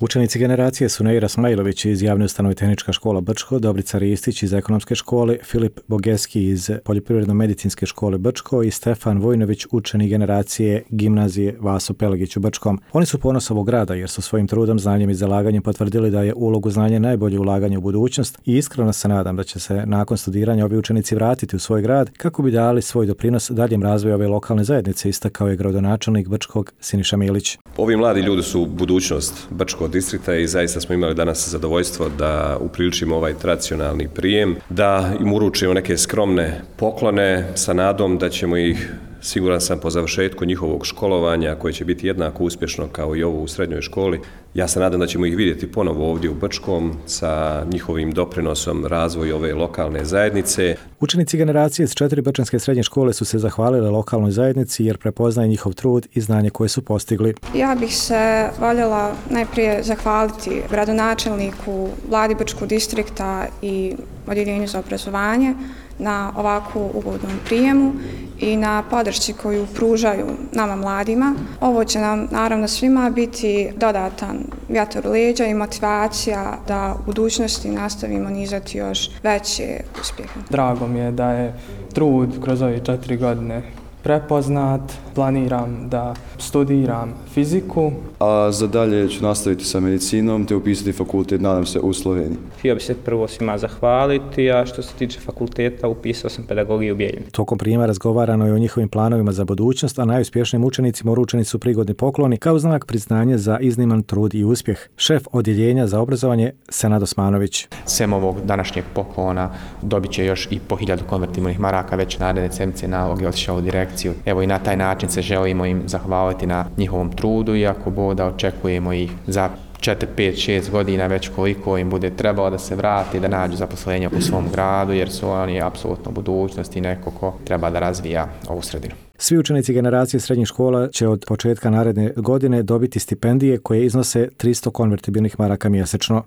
Učenici generacije su Neira Smajlović iz javne ustanove Tehnička škola Brčko, Dobrica Ristić iz ekonomske škole, Filip Bogeski iz poljoprivredno-medicinske škole Brčko i Stefan Vojnović, učenik generacije gimnazije Vaso Pelagić u Brčkom. Oni su ponos ovog grada jer su svojim trudom, znanjem i zalaganjem potvrdili da je ulogu znanja najbolje ulaganje u budućnost i iskreno se nadam da će se nakon studiranja ovi učenici vratiti u svoj grad kako bi dali svoj doprinos daljem razvoju ove lokalne zajednice, istakao je gradonačelnik Brčkog Siniša Milić. Ovi mladi ljudi su budućnost Brčkog distrikta i zaista smo imali danas zadovoljstvo da upriličimo ovaj tradicionalni prijem, da im uručimo neke skromne poklone sa nadom da ćemo ih, siguran sam, po završetku njihovog školovanja, koje će biti jednako uspješno kao i ovo u srednjoj školi, ja se nadam da ćemo ih vidjeti ponovo ovdje u Brčkom sa njihovim doprinosom razvoju ove lokalne zajednice. Učenici generacije iz 4 brčanske srednje škole su se zahvalili lokalnoj zajednici jer prepoznaje njihov trud i znanje koje su postigli. Ja bih se voljela najprije zahvaliti gradonačelniku, vladi Brčkog distrikta i Odjeljenju za obrazovanje na ovakvu ugodnom prijemu i na podršci koju pružaju nama mladima. Ovo će nam naravno svima biti dodatan vjetar u leđa i motivacija da u budućnosti nastavimo nizati još veće uspjehe. Drago mi je da je trud kroz ove 4 godine prepoznat. Planiram da studiram fiziku. A za dalje ću nastaviti sa medicinom te upisati fakultet, nadam se, u Sloveniji. Htio bi se prvo svima zahvaliti, a što se tiče fakulteta, upisao sam pedagogiju u Bijeljini. Tokom prijema razgovarano je o njihovim planovima za budućnost, a najuspješnijim učenicima uručeni su prigodni pokloni kao znak priznanja za izniman trud i uspjeh. Šef Odjeljenja za obrazovanje Senad Osmanović. Sem ovog današnjeg poklona dobit će još i po 1000 konvertibilnih maraka, već naredne sedmice nalog je otišao u direkciju. Evo i na taj način se želimo im zahvaliti na njihovom trudu, iako boda očekujemo ih za 4, 5, 6 godina već koliko im bude trebalo da se vrati, da nađu zaposlenje u svom gradu, jer su oni apsolutno budućnost i neko ko treba da razvija ovu sredinu. Svi učenici generacije srednjih škola će od početka naredne godine dobiti stipendije koje iznose 300 konvertibilnih maraka mjesečno.